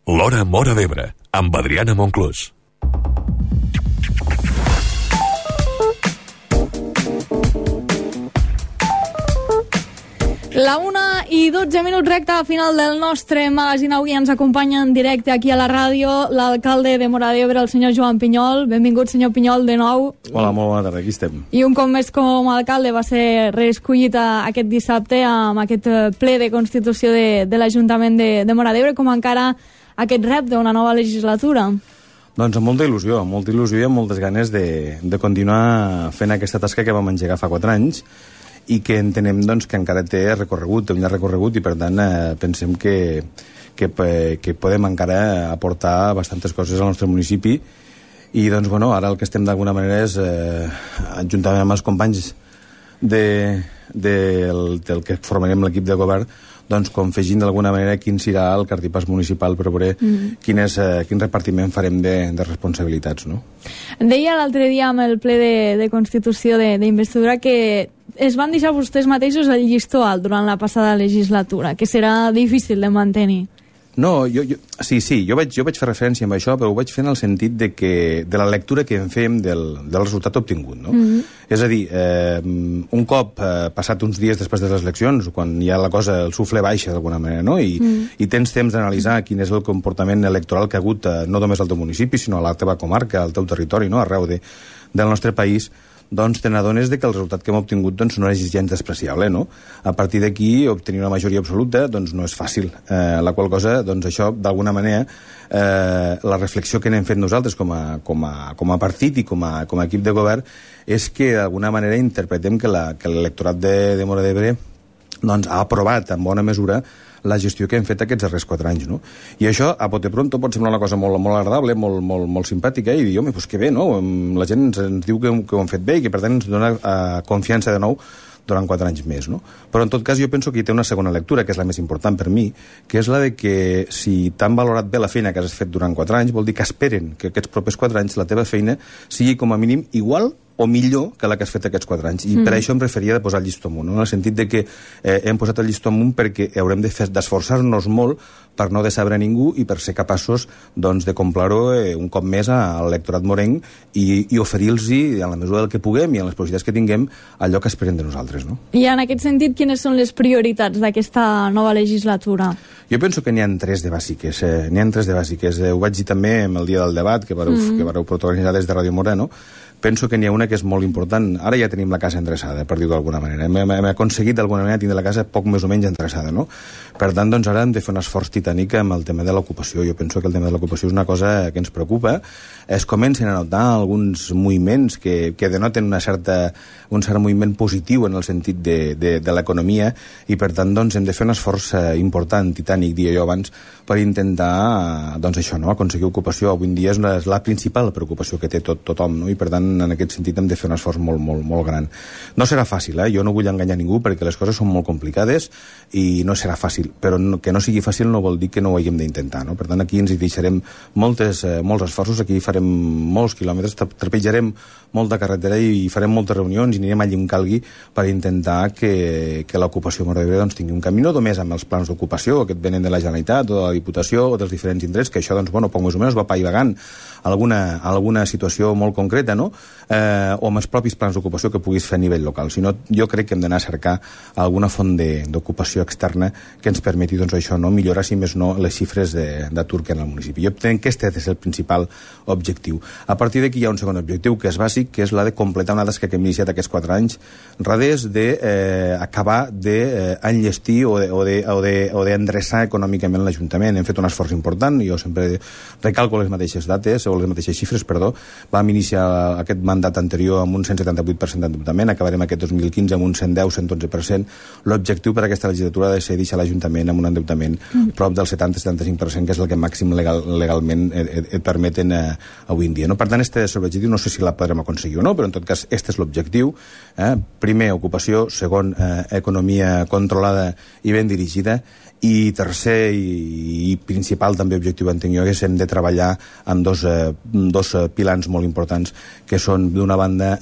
L'Hora Móra d'Ebre, amb Adriana Monclús. La 1:12, recta a final del nostre magazín. Avui ens acompanya en directe aquí a la ràdio l'alcalde de Móra d'Ebre, el senyor Joan Pinyol. Benvingut, senyor Pinyol, de nou. Hola, molt bona tarda, aquí estem. I un cop més com a alcalde va ser reescollit aquest dissabte amb aquest ple de constitució de l'Ajuntament de Móra d'Ebre. Com encara aquest repte d'una nova legislatura? Doncs amb molta il·lusió i amb moltes ganes de continuar fent aquesta tasca que vam engegar fa 4 anys i que entenem doncs, que encara té recorregut, un llarg recorregut, i per tant pensem que podem encara aportar bastantes coses al nostre municipi. I doncs, bueno, ara el que estem d'alguna manera és, juntament amb els companys del que formarem l'equip de govern, doncs confegint d'alguna manera quin serà el cartipàs municipal per veure quin repartiment farem de responsabilitats, no? Deia l'altre dia amb el ple de Constitució d'investidura que es van deixar vostès mateixos el llistó alt durant la passada legislatura, que serà difícil de mantenir. No, jo vaig fer referència amb això, però ho vaig fer en el sentit de la lectura que en fem del resultat obtingut, no? És a dir, un cop passat uns dies després de les eleccions, quan ja la cosa, el sufle baixa d'alguna manera, no? I tens temps d'analitzar quin és el comportament electoral que ha hagut no només al teu municipi, sinó a la teva comarca, al teu territori, no? Arreu del nostre país, doncs te n'adones que el resultat que hem obtingut doncs, no és gens despreciable, no? A partir d'aquí, obtenir una majoria absoluta doncs, no és fàcil. La qual cosa, doncs, això, d'alguna manera, la reflexió que n'hem fet nosaltres com a partit i com a equip de govern és que, d'alguna manera, interpretem que l'electorat de Móra d'Ebre doncs, ha aprovat en bona mesura la gestió que hem fet aquests darrers 4 anys, no? I això, a bote pronto, pot semblar una cosa molt agradable, molt simpàtica, i dir, home, doncs que bé, no? La gent ens diu que ho hem fet bé i que, per tant, ens dona confiança de nou durant 4 anys més, no? Però, en tot cas, jo penso que hi té una segona lectura, que és la més important per mi, que és la de que si t'han valorat bé la feina que has fet durant 4 anys, vol dir que esperen que aquests propers 4 anys la teva feina sigui com a mínim igual o millor que la que has fet aquests 4 anys. I per això em referia de posar el llistó amunt, no? En el sentit de que hem posat el llistó amunt perquè haurem d'esforçar-nos molt per no decebre ningú i per ser capaços doncs, de complir-ho un cop més a l'electorat morenc i oferir-los, en la mesura del que puguem i en les possibilitats que tinguem, allò que esperen de nosaltres, no? I en aquest sentit, quines són les prioritats d'aquesta nova legislatura? Jo penso que n'hi ha 3 de bàsiques. Ho vaig dir també en el dia del debat que vareu protagonitzar des de Ràdio Móra, no? Penso que n'hi ha una que és molt important. Ara ja tenim la casa endreçada, per dir-ho d'alguna manera. Hem aconseguit d'alguna manera tindre la casa poc més o menys endreçada, no? Per tant, doncs ara hem de fer un esforç titànic amb el tema de l'ocupació. Jo penso que el tema de l'ocupació és una cosa que ens preocupa. Es comencen a notar alguns moviments que denoten un cert moviment positiu en el sentit de l'economia i, per tant, doncs, hem de fer un esforç important, titànic, dia jo abans, per intentar, doncs això, no? Aconseguir ocupació. Avui en dia és la principal preocupació que té tothom, no? I, per tant, en aquest sentit hem de fer un esforç molt gran. No serà fàcil, jo no vull enganyar ningú perquè les coses són molt complicades i no serà fàcil, però que no sigui fàcil no vol dir que no ho haguem d'intentar, no? Per tant, aquí ens hi deixarem molts esforços, aquí farem molts quilòmetres, trepitjarem molta carretera i farem moltes reunions i anirem allí on calgui per intentar que l'ocupació a Móra d'Ebre doncs, tingui un camí, no només amb els plans d'ocupació que et venen de la Generalitat o de la Diputació o dels diferents indrets, que això, doncs, bueno, poc més o menys va paivagant alguna situació molt concreta, no? O amb els propis plans d'ocupació que puguis fer a nivell local. Si no, jo crec que hem d'anar a cercar alguna font d'ocupació externa que ens permeti, doncs, això, no? Millorar, si més no, les xifres d'atur que hi ha en el municipi. Jo entenc que aquest és el principal objectiu. A partir d'aquí hi ha un segon objectiu, que és bàsic, que és la de completar una tasca que hem iniciat aquests 4 anys, res d'acabar d'enllestir o d'endreçar econòmicament l'Ajuntament. Hem fet un esforç important, jo sempre recalco les mateixes dates, o les mateixes xifres, perdó. Vam iniciar aquest mandat anterior amb un 178% d'endeutament, acabarem aquest 2015 amb un 110-111%. L'objectiu per a aquesta legislatura ha de ser deixar l'Ajuntament amb un endeutament prop del 70-75%, que és el que màxim legalment et permeten avui en dia, no? Per tant, este és l'objectiu, no sé si la podrem aconseguir o no, però en tot cas, este és l'objectiu. Primer, ocupació; segon, economia controlada i ben dirigida; I tercer i principal també objectiu entenc jo és hem de treballar amb dos pilars molt importants que són d'una banda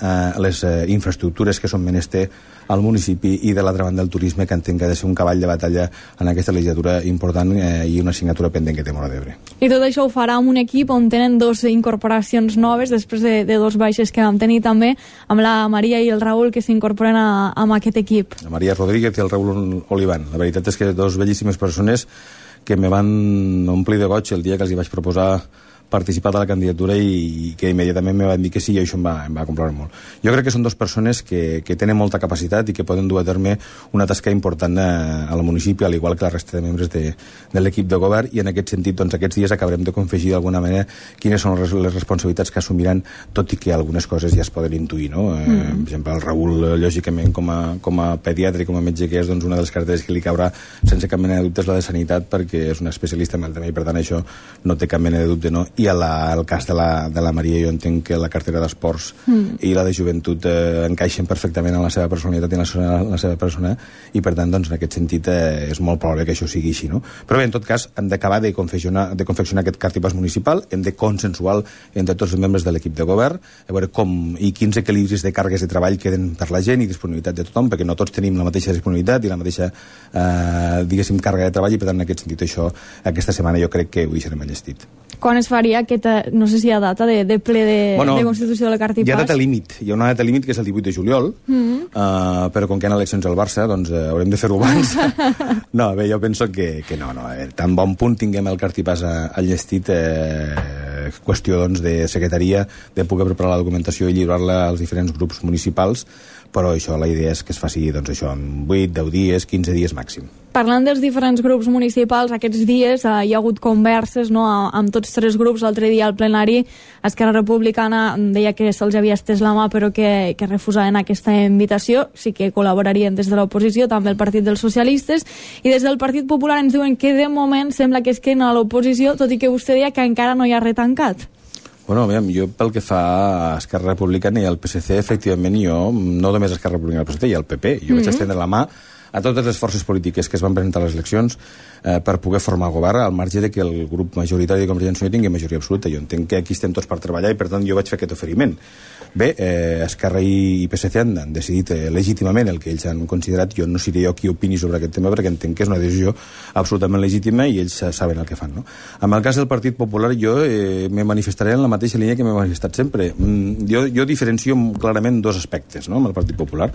les infraestructures que són menester al municipi i de l'altra banda el turisme que entenc que ha de ser un cavall de batalla en aquesta legislatura important i una assignatura pendent que té Móra d'Ebre. I tot això ho farà amb un equip on tenen 2 incorporacions noves després de 2 baixes que vam tenir també amb la Maria i el Raül que s'incorporen a aquest equip. La Maria Rodríguez i el Raül Olivan. La veritat és que 2 bellíssimes persones que me van omplir de goig el dia que els hi vaig proposar participar de la candidatura i que immediatament me van dir que sí i això em va complaure molt. Jo crec que són 2 persones que tenen molta capacitat i que poden dur a terme una tasca important al municipi, al igual que la resta de membres de l'equip de govern i en aquest sentit doncs, aquests dies acabarem de confegir d'alguna manera quines són les responsabilitats que assumiran, tot i que algunes coses ja es poden intuir, no? Per exemple, el Raül, lògicament, com a pediatre i com a metge que és, doncs una de les carteres que li caurà sense cap mena de dubte és la de Sanitat perquè és una especialista en el tema i per tant això no té cap mena de dubte, no? I el cas de la Maria jo entenc que la cartera d'esports i la de joventut encaixen perfectament en la seva personalitat i en la seva persona i per tant doncs, en aquest sentit és molt probable que això sigui així, no? Però bé, en tot cas hem d'acabar de confeccionar aquest cartipàs municipal, hem de consensuar entre tots els membres de l'equip de govern a veure com i quins equilibris de càrregues de treball queden per la gent i disponibilitat de tothom perquè no tots tenim la mateixa disponibilitat i la mateixa diguéssim càrrega de treball i per tant en aquest sentit això aquesta setmana jo crec que ho deixarem enllestit. Quan es faria aquesta, no sé si hi ha data de ple de constitució de la Cartipàs? Hi ha data límit, hi ha una data límit que és el 18 de juliol, però com que hi ha eleccions al Barça, doncs haurem de fer-ho abans. No, bé, jo penso que no. A veure, tan bon punt tinguem el Cartipàs enllestit, qüestió doncs, de secretaria, de poder preparar la documentació i lliurar-la als diferents grups municipals, però això, la idea és que es faci doncs, això en 8, 10 dies, 15 dies màxim. Parlant dels diferents grups municipals, aquests dies hi ha hagut converses amb tots 3 grups. L'altre dia al plenari Esquerra Republicana deia que se'ls havia estès la mà però que refusaven aquesta invitació. Sí que col·laborarien des de l'oposició, també el Partit dels Socialistes, i des del Partit Popular ens diuen que de moment sembla que es queden a l'oposició, tot i que vostè deia que encara no hi ha retancat. Bueno, aviam, jo pel que fa a Esquerra Republicana i al PSC, efectivament, jo, no només a Esquerra Republicana i al PSC, i al PP, jo vaig estendre la mà a totes les forces polítiques que es van presentar a les eleccions per poder formar govern al marge de que el grup majoritari de Convergència i Unió tingui majoria absoluta. Jo entenc que aquí estem tots per treballar i per tant jo vaig fer aquest oferiment. Bé, Esquerra i PSC han decidit legítimament el que ells han considerat. Jo no seré jo qui opini sobre aquest tema perquè entenc que és una decisió absolutament legítima i ells saben el que fan, no? En el cas del Partit Popular jo me manifestaré en la mateixa línia que m'he manifestat sempre. Jo diferencio clarament 2 aspectes, no?, amb el Partit Popular.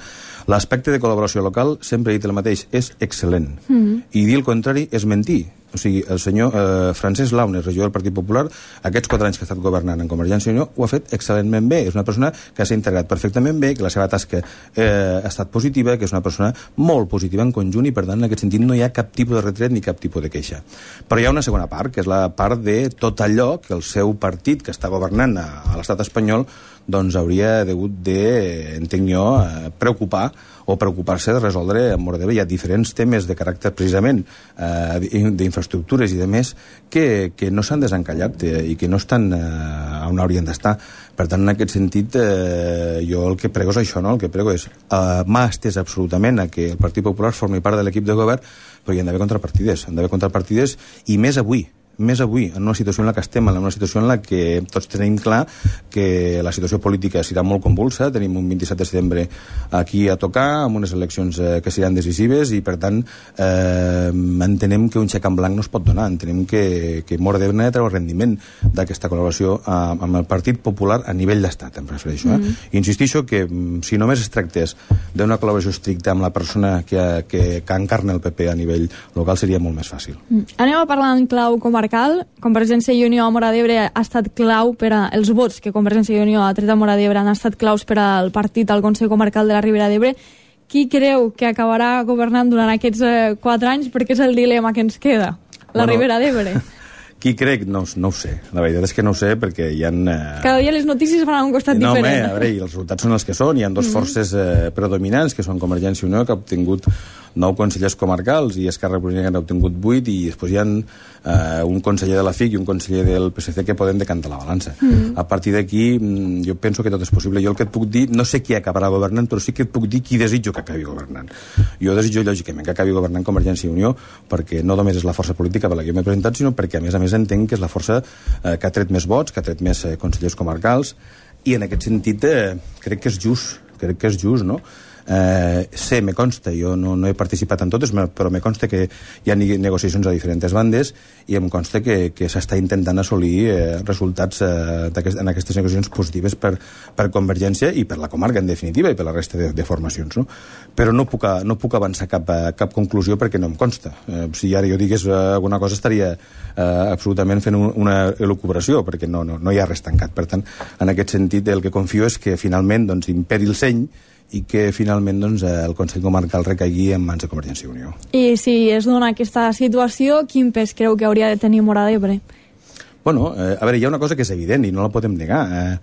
L'aspecte de col·laboració local, sempre he dit el mateix, és excel·lent. I dir el contrari és mentir. O sigui, el senyor Francesc Launes, regidor del Partit Popular, aquests 4 anys que ha estat governant en Convergència i Unió, ho ha fet excel·lentment bé. És una persona que s'ha integrat perfectament bé, que la seva tasca ha estat positiva, que és una persona molt positiva en conjunt i, per tant, en aquest sentit no hi ha cap tipus de retret ni cap tipus de queixa. Però hi ha una segona part, que és la part de tot allò que el seu partit, que està governant a l'estat espanyol, doncs hauria hagut de, entenc jo, preocupar-se de resoldre a Móra d'Ebre. Hi ha diferents temes de caràcter precisament d'infraestructures i de més que no s'han desencallat i que no estan on haurien d'estar. Per tant, en aquest sentit, jo el que prego és això, no? El que prego és mà estès absolutament a que el Partit Popular formi part de l'equip de govern, però hi han d'haver contrapartides i més avui, en una situació en la que estem, en una situació en la que tots tenim clar que la situació política serà molt convulsa, tenim un 27 de setembre aquí a tocar, amb unes eleccions que seran decisives i, per tant, entenem que un xec en blanc no es pot donar, entenem que Móra d'Ebre ha de treure rendiment d'aquesta col·laboració amb el Partit Popular a nivell d'estat, em prefereixo. Insistixo que si només es tractés d'una col·laboració estricta amb la persona que encarna el PP a nivell local seria molt més fàcil. Anem a parlar en clau comarcal. Convergència i Unió a Móra d'Ebre ha estat clau per els vots que Convergència i Unió ha tret a Móra d'Ebre han estat claus per al partit al Consell Comarcal de la Ribera d'Ebre. Qui creu que acabarà governant durant aquests 4 anys? Perquè és el dilema que ens queda, la Ribera d'Ebre. Qui crec? No ho sé. La veritat és que no ho sé perquè hi ha... Cada dia les notícies van a un costat diferent. No, a veure, i els resultats són els que són. Hi ha 2 forces predominants, que són Convergència i Unió, que ha obtingut 9 consellers comarcals i Esquerra Republicana ha obtingut 8 i després hi ha un conseller de la FIC i un conseller del PSC que poden decantar la balança. A partir d'aquí jo penso que tot és possible. Jo el que et puc dir, no sé qui acabarà governant, però sí que et puc dir qui desitjo que acabi governant. Jo desitjo lògicament que acabi governant Convergència i Unió, perquè no només és la força política per la que m'he presentat, sinó perquè a més entenc que és la força que ha tret més vots, que ha tret més consellers comarcals, i en aquest sentit crec que és just, no? Me consta, jo no he participat en totes, però me consta que hi ha negociacions a diferents bandes i em consta que s'està intentant assolir resultats en aquestes negociacions positives per Convergència i per la comarca, en definitiva, i per la resta de formacions, no? Però no puc avançar cap conclusió perquè no em consta. Si ara jo digués alguna cosa estaria absolutament fent una elucubració, perquè no hi ha res tancat. Per tant, en aquest sentit, el que confio és que finalment imperi el seny i que finalment el Consell Comarcal recaigui en mans de Convergència i Unió. I si es dona aquesta situació, quin pes creu que hauria de tenir Móra d'Ebre? Bueno, a veure, hi ha una cosa que és evident i no la podem negar.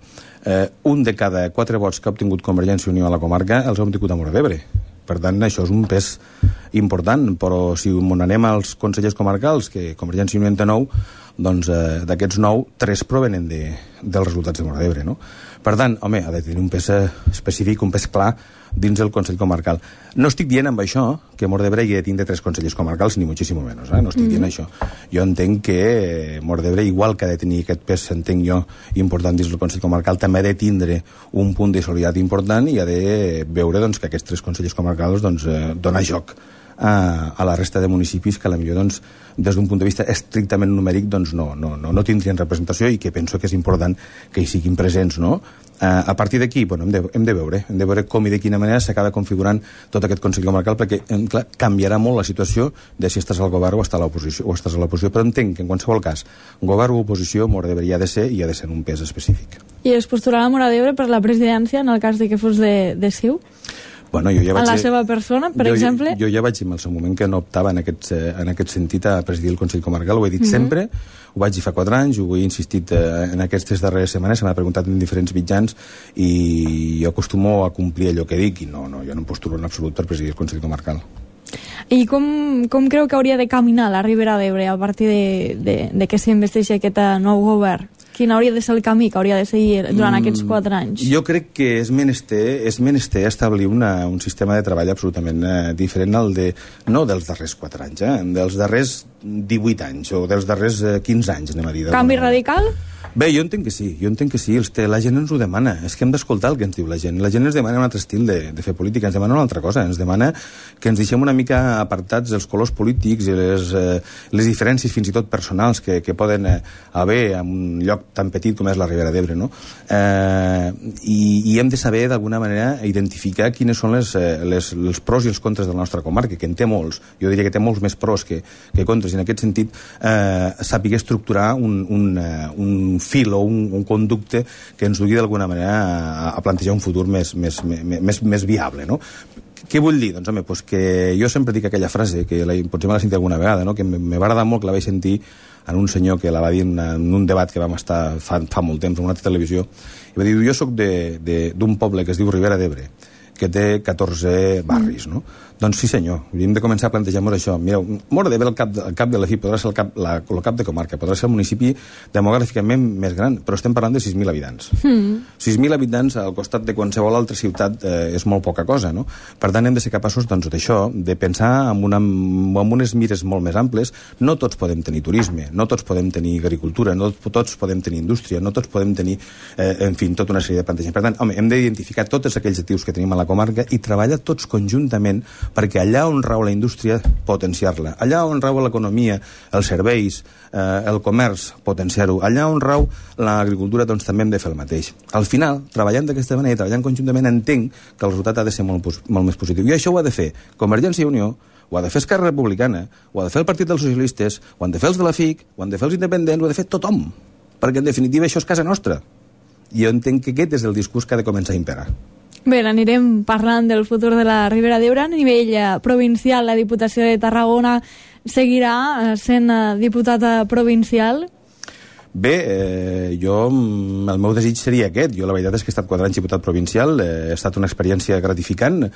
Un de cada 4 vots que ha obtingut Convergència i Unió a la comarca els ha obtingut a Móra d'Ebre. Per tant, això és un pes important, però si anem als consellers comarcals, que Convergència i Unió en té 9, doncs d'aquests 9, 3 provenen dels resultats de Móra d'Ebre, no? Per tant, home, ha de tenir un pes específic, un pes clar dins el Consell Comarcal. No estic dient amb això que Móra d'Ebre hi ha de tindre 3 consellers comarcals, ni moltíssim menys, no estic dient això. Jo entenc que Móra d'Ebre, igual que ha de tenir aquest pes, entenc jo, important dins el Consell Comarcal, també ha de tindre un punt de solidaritat important i ha de veure que aquests 3 consellers comarcals donar joc a la resta de municipis que potser des d'un punt de vista estrictament numèric no tindrien representació i que penso que és important que hi siguin presents, no? A partir d'aquí hem de veure com i de quina manera s'acaba configurant tot aquest Consell Comarcal, perquè clar, canviarà molt la situació de si estàs al govern o estàs a l'oposició, però entenc que en qualsevol cas govern o oposició Móra d'Ebre hi ha de ser i ha de ser en un pes específic. I es postularà Móra d'Ebre per la presidència en el cas de que fos de CiU? Bueno, jo ja vaig la seva persona, per exemple? Jo ja vaig dir en el seu moment que no optava en aquest sentit a presidir el Consell Comarcal, ho he dit sempre, ho vaig dir fa 4 anys, ho he insistit en aquestes darreres setmanes, se m'ha preguntat en diferents mitjans i jo acostumo a complir allò que dic i jo no em postulo en absolut per presidir el Consell Comarcal. I com creu que hauria de caminar la Ribera d'Ebre a partir de que s'investeixi aquest nou govern? Quin hauria de ser el camí que hauria de seguir durant aquests 4 anys? Jo crec que és menester establir un sistema de treball absolutament diferent no dels darrers 4 anys, dels darrers 18 anys o dels darrers 15 anys, anem a dir. Canvi radical? Bé, jo entenc que sí, la gent ens ho demana, és que hem d'escoltar el que ens diu la gent ens demana un altre estil de fer política, ens demana una altra cosa, ens demana que ens deixem una mica apartats els colors polítics i les diferències fins i tot personals que poden haver en un lloc tan petit com és la Ribera d'Ebre, no? I hem de saber d'alguna manera identificar quines són els pros i els contres de la nostra comarca, que en té molts, jo diria que té molts més pros que contres, i en aquest sentit sàpiga estructurar un fil o un conducte que ens dugui d'alguna manera a plantejar un futur més viable, no? Què vull dir? Doncs, home, que jo sempre dic aquella frase, que potser me l'ha sentit alguna vegada, no? Que m'ha agradat molt, que la vaig sentir en un senyor que la va dir en un debat que vam estar fa molt temps en una televisió, i va dir, jo soc d'un poble que es diu Ribera d'Ebre, que té 14 barris, no? Doncs sí, senyor, hem de començar a plantejar-nos això. Mireu, Móra d'Ebre, el cap de la FI, podrà ser el cap de comarca, podrà ser el municipi demogràficament més gran, però estem parlant de 6.000 habitants. 6.000 habitants al costat de qualsevol altra ciutat és molt poca cosa, no? Per tant, hem de ser capaços d'això, de pensar amb unes mires molt més amples. No tots podem tenir turisme, no tots podem tenir agricultura, no tots podem tenir indústria, no tots podem tenir, en fi, tota una sèrie de plantejaments. Per tant, home, hem d'identificar tots aquells actius que tenim a la comarca i treballar tots conjuntament perquè allà on rau la indústria, potenciar-la. Allà on rau l'economia, els serveis, el comerç, potenciar-ho. Allà on rau l'agricultura, doncs també hem de fer el mateix. Al final, treballant d'aquesta manera, treballant conjuntament, entenc que el resultat ha de ser molt més positiu. I això ho ha de fer Convergència i Unió, ho ha de fer Esquerra Republicana, ho ha de fer el Partit dels Socialistes, ho han de fer els de la FIC, ho han de fer els independents, ho ha de fer tothom. Perquè, en definitiva, això és casa nostra. I jo entenc que aquest és el discurs que ha de començar a imperar. Bé, anirem parlant del futur de la Ribera d'Ebre. A nivell provincial, la Diputació de Tarragona seguirà sent diputada provincial? Bé, el meu desig seria aquest. Jo la veritat és que he estat 4 anys diputat provincial, ha estat una experiència gratificant,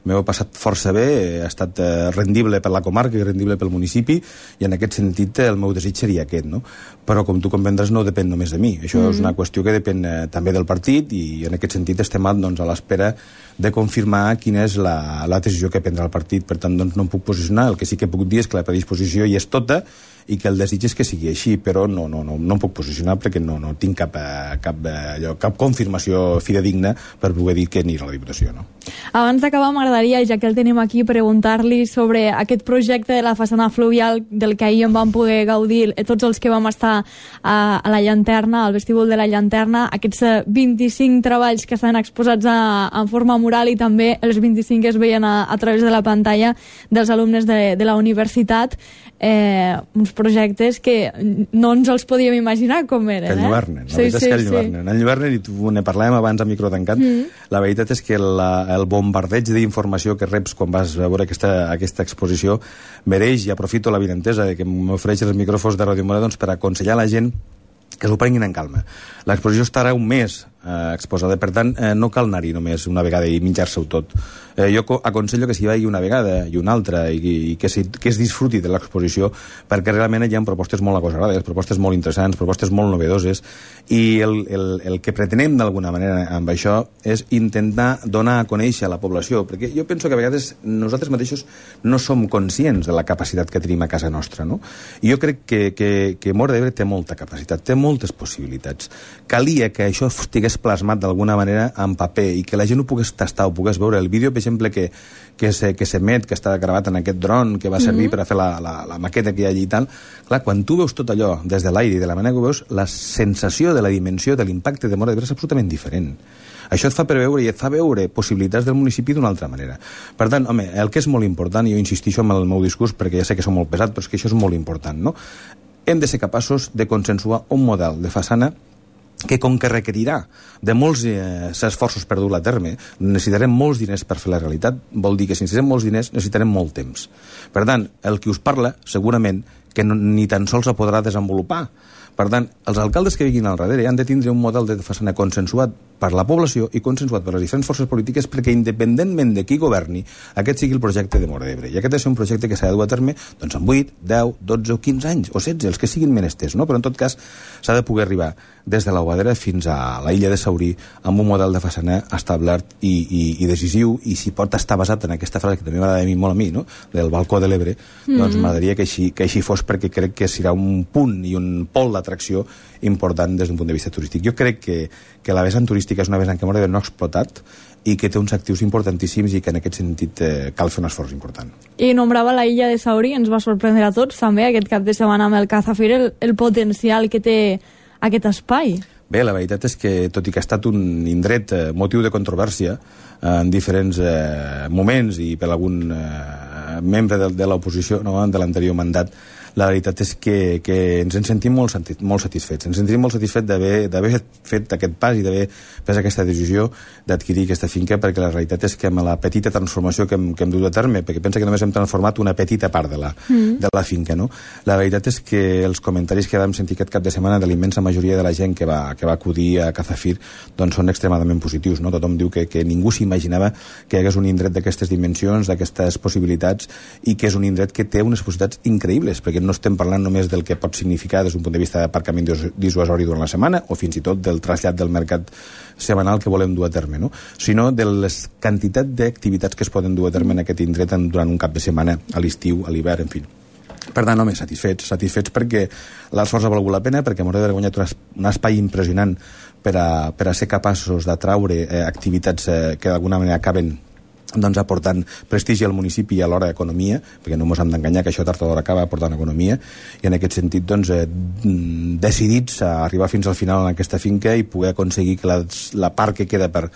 m'ho he passat força bé, ha estat rendible per la comarca i rendible pel municipi, i en aquest sentit el meu desig seria aquest, no? Però com tu comprendràs no depèn només de mi, això és una qüestió que depèn també del partit, i en aquest sentit estem doncs, a l'espera de confirmar quina és la decisió que prendrà el partit. Per tant, doncs, no em puc posicionar. El que sí que puc dir és que la predisposició hi és tota i que el desig és que sigui així, però no em puc posicionar perquè no tinc cap confirmació fidedigna per poder dir que anirà a la Diputació, no? Abans d'acabar, m'agradaria, ja que el tenim aquí, preguntar-li sobre aquest projecte de la façana fluvial del que ahir en vam poder gaudir tots els que vam estar a la llanterna, al vestíbul de la llanterna, aquests 25 treballs que estan exposats en forma mural, i també els 25 que es veien a través de la pantalla dels alumnes de la universitat, uns projectes que no ens els podíem imaginar com eren. Que enlluernen, la veritat és que enlluernen. Enlluernen, i tu ne parlàvem abans a micro tancat. La veritat és que el bombardeig d'informació que reps quan vas a veure aquesta exposició mereix, i aprofito la vinentesa que m'ofereix els micròfons de Ràdio Mora, doncs, per aconsellar la gent que s'ho prenguin en calma. L'exposició estarà un mes exposada, per tant, no cal anar-hi només una vegada i menjar-se-ho tot. Jo aconsello que s'hi vagi una vegada i una altra, i que es disfruti de l'exposició, perquè realment hi ha propostes molt agosarades, propostes molt interessants, propostes molt novedoses, i el que pretenem d'alguna manera amb això és intentar donar a conèixer a la població, perquè jo penso que a vegades nosaltres mateixos no som conscients de la capacitat que tenim a casa nostra, no? I jo crec que Móra d'Ebre té molta capacitat, té moltes possibilitats. Calia que això estigués plasmat d'alguna manera en paper i que la gent ho pogués tastar, ho pogués veure. El vídeo, per exemple, que s'emet, que està gravat en aquest dron que va servir per a fer la maqueta que hi ha allí i tal, clar, quan tu veus tot allò des de l'aire i de la manera que ho veus, la sensació de la dimensió, de l'impacte de Móra d'Ebre és absolutament diferent. Això et fa preveure i et fa veure possibilitats del municipi d'una altra manera. Per tant, home, el que és molt important, i jo insistixo en el meu discurs perquè ja sé que som molt pesat, però és que això és molt important, no? Hem de ser capaços de consensuar un model de façana que, com que requerirà de molts esforços per dur-la a terme, necessitarem molts diners per fer la realitat, vol dir que si necessitem molts diners necessitarem molt temps. Per tant, el que us parla, segurament, que ni tan sols la podrà desenvolupar. Per tant, els alcaldes que vinguin al darrere han de tindre un model de façana consensuat per la població i consensuat per les diferents forces polítiques, perquè independentment de qui governi, aquest sigui el projecte de Móra d'Ebre. I aquest ha de ser un projecte que s'ha de dur a terme doncs, en 8, 10, 12 o 15 anys, o 16, els que siguin menesters, no? Però en tot cas s'ha de poder arribar des de la Boadera fins a la illa de Saurí amb un model de façana establert i decisiu, i si pot estar basat en aquesta frase que també m'agrada molt a mi, no? Del balcó de l'Ebre, doncs m'agradaria que així fos, perquè crec que serà un punt i un pol d'atracció important des d'un punt de vista turístic. Jo crec que la vessant turística és una vessant que Móra d'Ebre no ha explotat i que té uns actius importantíssims, i que en aquest sentit cal fer un esforç important. I nombrava la illa de Saurí, ens va sorprendre a tots també aquest cap de setmana amb el Cazafir, el potencial que té aquest espai. Bé, la veritat és que, tot i que ha estat un indret motiu de controvèrsia en diferents moments i per algun membre de l'oposició, no, de l'anterior mandat, la veritat és que ens en sentim molt satisfets. Ens sentim molt satisfets d'haver fet aquest pas i d'haver pres aquesta decisió d'adquirir aquesta finca, perquè la realitat és que amb la petita transformació que hem dut a terme, perquè pensa que només hem transformat una petita part de la finca, no? La veritat és que els comentaris que vam sentir aquest cap de setmana de la immensa majoria de la gent que va acudir a Cazafir doncs són extremadament positius, no? Tothom diu que ningú s'imaginava que hi hagués un indret d'aquestes dimensions, d'aquestes possibilitats, i que és un indret que té unes possibilitats increïbles, perquè no estem parlant només del que pot significar des d'un punt de vista d'aparcament dissuasori durant la setmana, o fins i tot del trasllat del mercat setmanal que volem dur a terme, no? Sinó de les quantitats d'activitats que es poden dur a terme en aquest indret durant un cap de setmana, a l'estiu, a l'hivern, en fi. Per tant, home, satisfets perquè l'esforç ha valgut la pena, perquè Móra d'Ebre ha guanyat un espai impressionant per a ser capaços d'atraure activitats que d'alguna manera acaben doncs aportant prestigi al municipi i alhora economia, perquè no ens hem d'enganyar que això tard o d'hora acaba aportant economia, i en aquest sentit doncs, decidits a arribar fins al final en aquesta finca i poder aconseguir que la part que queda per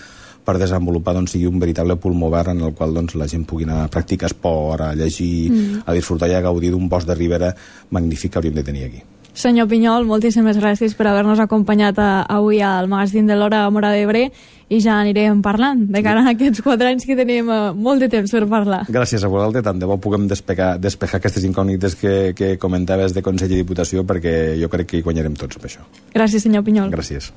desenvolupar doncs, sigui un veritable pulmó verd en el qual doncs, la gent pugui anar a practicar esport, a llegir, a disfrutar i a gaudir d'un bosc de ribera magnífic que hauríem de tenir aquí. Senyor Pinyol, moltíssimes gràcies per haver-nos acompanyat avui al magazín de l'Hora Móra d'Ebre i ja anirem parlant de cara a aquests 4 anys que tenim molt de temps per parlar. Gràcies a vosaltres, tant de bo puguem despejar aquestes incògnites que comentaves de Consell i Diputació, perquè jo crec que hi guanyarem tots amb això. Gràcies, senyor Pinyol. Gràcies.